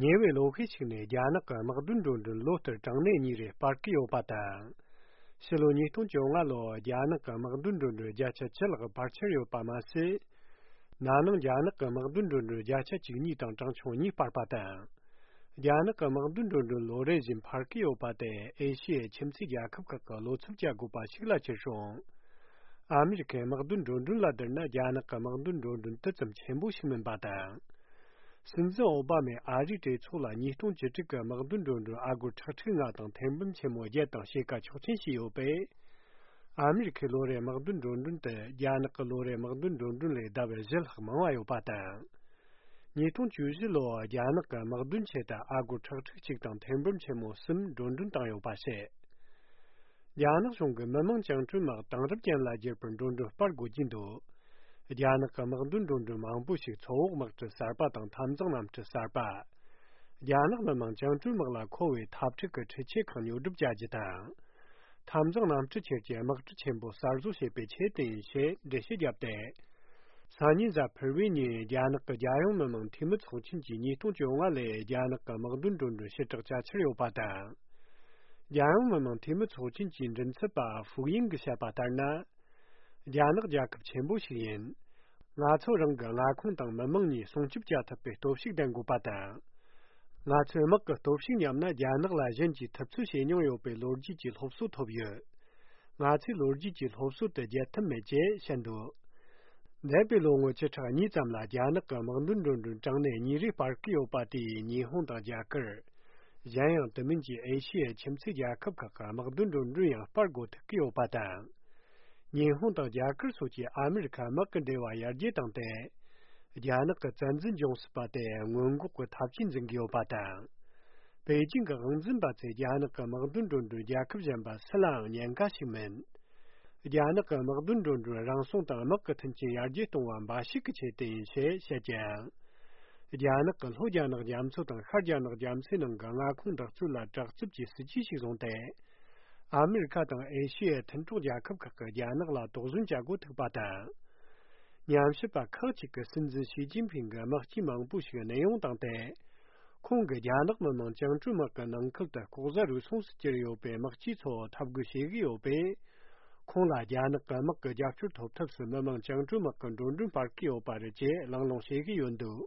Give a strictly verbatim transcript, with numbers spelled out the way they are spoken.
ཉེ་བའི་ལོ་ཤས་ཤིག་ནས་རྒྱ་ནག་གི་དམག་དོན་འགྲོ་གྲོན་ལོ་ལྟར་གྲངས་གནས་གཉིས་རེ་སྤར་གྱི་ཡོད་པ་དང་། ཕྱི་ལོ་ཉིས་སྟོང་བཅོ་ལྔ་ལོར་རྒྱ་ནག་གི་དམག་དོན་འགྲོ་གྲོན་བརྒྱ་ཆ་བཅུ་ལྷག་འཕར་ཆེར་ཡོད་པ་མ་ཟད། ན་ནིང་རྒྱ་ནག་གི་དམག་དོན་འགྲོ་གྲོན་བརྒྱ་ཆ་བཅུ་གཉིས་དང་གྲངས་ཆུང་གཉིས་སྤར་པ་དང་། རྒྱ་ནག་གི་དམག་དོན་འགྲོ་གྲོན་ལོ་རེ་བཞིན་འཕར་གྱི་ཡོད་པ་དེ་ཨེ་ཤི་ཡའི་ཁྱིམ་མཚེས་རྒྱལ་ཁབ་ཁག་གི་བློ་འཚབ་བྱ་དགོས་པ་ཞིག་ལ་གྱུར་སོང་། ཨ་མི་རི་ཁའི་དམག་དོན་འགྲོ་གྲོན་ལ་བསྡུར་ན་རྒྱ་ནག་གི་དམག་དོན་འགྲོ་གྲོན་དེ་ཙམ་ཆེན་པོ་ཞིག་མིན་པ་དང་། སྲིད་འཛིན་ཨོ་བྷ་མས་ཨ་རིའི་གྲོས་ཚོགས་ལ་ཉིས་སྟོང་བཅུ་དྲུག་གི་དམག་དོན་འགྲོ་གྲོན་ཨ་སྒོར་ཁྲག་ཁྲིག་ལྔ་དང་ཐེར་འབུམ་ཆེན་མོ་བརྒྱད་དང་ཕྱེད་ཀ་ཆོག་མཆན་ཞུས་ཡོད་པས། ཨ་མི་རི་ཁའི་ལོ་རེའི་དམག་དོན་འགྲོ་གྲོན་དེ་རྒྱ་ནག་གི་ལོ་རེའི་དམག་དོན་འགྲོ་གྲོན་ལས་ལྡབ་བཞི་ལྷག་མང་བ་ཡོད་པ་དང་། ཉིས་སྟོང་བཅུ་བཞི་ལོར་རྒྱ་ནག་གི་དམག་དོན་ཆེད་དུ་ཨ་སྒོར་ཁྲག་ཁྲིག་གཅིག་དང་ཐེར་འབུམ་ཆེན་མོ་གསུམ་འགྲོ་གྲོན་བཏང་ཡོད་པ་བཤད། རྒྱ་ནག་གཞུང་གིས་མི་དམངས་བཅིངས་འགྲོལ་དམག་དེང་རབས་ཅན་ལ་བསྒྱུར་པར་འགྲོ་གྲོན་སྤར་དགོས་ཀྱི་འདུག་རྒྱ་ནག་གི་དམག་དོན་འགྲོ་གྲོན་མང་པོ་ཞིག་མཚོ་འོག་དམག་གྲུ་གསར་པ་དང་འཐབ་འཛིང་གནམ་གྲུ་གསར་པ། རྒྱ་ནག་མི་དམངས་བཅིངས་འགྲོལ་དམག་ལ་མཁོ་བའི་འཐབ་འཁྲུག་གི་འཕྲུལ་ཆས་ཁག་ཉོ་སྒྲུབ་བྱ་རྒྱུ་དང་། འཐབ་འཛིང་གནམ་གྲུ་ཁྱེར་གྱི་དམག་གྲུ་ཆེན་པོ་གསར་བཟོ་བྱེད་པའི་ཆེད་དུ་ཡིན་ཞེས་འགྲེལ་བཤད་བརྒྱབ་སྟེ། སང་ཉིན་གཟའ་ཕུར་བུའི་ཉིན་རྒྱ་ནག་གི་རྒྱལ་ཡོངས་མི་དམངས་འཐུས་མི་ཚོགས་ཆེན་གྱིས་ཉིས་སྟོང་བཅོ་ལྔ་ལོའི་རྒྱ་ནག་གི་དམག་དོན་འགྲོ་གྲོན་ཕྱིར་བསྒྲགས་བྱ་འཆར་ཡོད་པ་དང་། རྒྱལ་ཡོངས་མི་དམངས་འཐུས་མི་ཚོགས་ཆེན་གྱི་མགྲིན་ཚབ་པ་ཧྥུའུ་ཡིང་གིས་བཤད་པ་ལྟར་ན། རྒྱ་ནག་རྒྱལ་ཁབ་ཆེན་པོ་ཞིག་ཡིན། ང་ཚོ་རང་གི་མངའ་ཁོངས་དང་མི་དམངས་གཉིས་སྲུང་སྐྱོབ་བྱ་ཐུབ་པའི་སྟོབས་ཤུགས་ལྡན་དགོས་པ་དང་། ང་ཚོས་དམག་གི་སྟོབས་ཤུགས་ཉམས་ན་རྒྱ་ནག་ལ་གཞན་གྱིས་ཐུབ་ཚོད་བྱེད་མྱོང་ཡོད་པའི་ལོ་རྒྱུས་ཀྱི་སློབ་གསོ་ཐོབ་ཡོད། ང་ཚོས་ལོ་རྒྱུས་ཀྱི་སློབ་གསོ་དེ་བརྗེད་ཐབས་མེད་ཅེས་བཤད་འདུག་འདས་པའི་ལོ་ངོ་བཅུ་ཕྲག་གཉིས་ཙམ་ལ་རྒྱ་ནག་གི་དམག་དོན་འགྲོ་གྲོན་གྲངས་གནས་གཉིས་རེ་སྤར་གི་ཡོད་པ་དེས་ཉི་ཧོང་དང་རྒྱ་གར། གཞན་ཡང་དེ་མིན་གྱི་ཨེ་ཤི་ཡའི་ཁྱིམ་མཚེས་རྒྱལ་ཁབ་ཁག་གི་དམག་དོན་འགྲོ་གྲོན་ཡང་སྤར་འགོ་ཐུག་གི་ཡོད་པ་དང་། ཉི་ཧོང་དང་རྒྱ་གར་སོགས་ཀྱིས་ཨ་མི་རི་ཁ་དམག་གི་འབྲེལ་བ་ཡར་རྒྱས་བཏང་སྟེ། རྒྱ་ནག་གི་བཙན་འཛུལ་འབྱུང་སྲིད་པ་དེ་སྔོན་འགོག་གི་ཐབས་ཇུས་འཛིན་གྱི་ཡོད་པ་དང་། པེ་ཅིང་གི་དབང་འཛིན་པ་ཚོས་རྒྱ་ནག་གི་དམག་དོན་འགྲོ་གྲོན་རྒྱལ་ཁབ་གཞན་པ་སུ་ལའང་ཉེན་ཁ་ཞིག་མིན། རྒྱ་ནག་གི་དམག་དོན་འགྲོ་གྲོན་རང་སྲུང་དང་དམག་གི་མཐུན་རྐྱེན་ཡར་རྒྱས་གཏོང་བ་འབའ་ཞིག་གི་ཆེད་དུ་ཡིན་ཞེས་བཤད་ཀྱང་། རྒྱ་ནག་གི་ལྷོ་རྒྱ་ནག་རྒྱ་མཚོ་དང་ཤར་རྒྱ་ནག་རྒྱ་མཚོའི་ནང་གི་མངའ་ཁོངས་འདི་ཚོ་ལ་དྲག་རྩུབ་ཀྱི་སྲིད་ཇུས་ཤིག་བཟུང་སྟེ། ཨ་མི་རི་ཁ་དང་ཨེ་ཤི་ཡའི་མཐུན་གྲོགས་རྒྱལ་ཁབ་ཁག་གིས་རྒྱ་ནག་ལ་དོགས་ཟོན་བྱ་འགོ་ཐུག་པ་དང་། ཉམས་ཞིབ་པ་ཁག་ཅིག་གིས་སྲིད་འཛིན་ཞི་ཅིན་ཕིང་གི་དམག་སྤྱི་མང་པོ་ཞིག་གནས་དབྱུང་བཏང་སྟེ། ཁོང་གིས་རྒྱ་ནག་མི་དམངས་བཅིངས་འགྲོལ་དམག་གི་ནང་ཁུལ་དུ་ལྐོག་ཟ་རུལ་སུངས་སུ་གྱུར་ཡོད་པའི་དམག་སྤྱི་ཚོ་འཐབ་རྒོལ་བྱེད་ཀྱི་ཡོད་པས། ཁོང་ལ་རྒྱ་ནག་གི་དམག་གི་རྒྱབ་སྐྱོར་ཐོབ་ཐབས་སུ་མི་དམངས་བཅིངས་འགྲོལ་དམག་གི་འགྲོ་གྲོན་སྤར་གྱི་ཡོད་པ་རེད་ཅེས་གླེང་སློང་བྱེད་ཀྱི་ཡོད་འདུག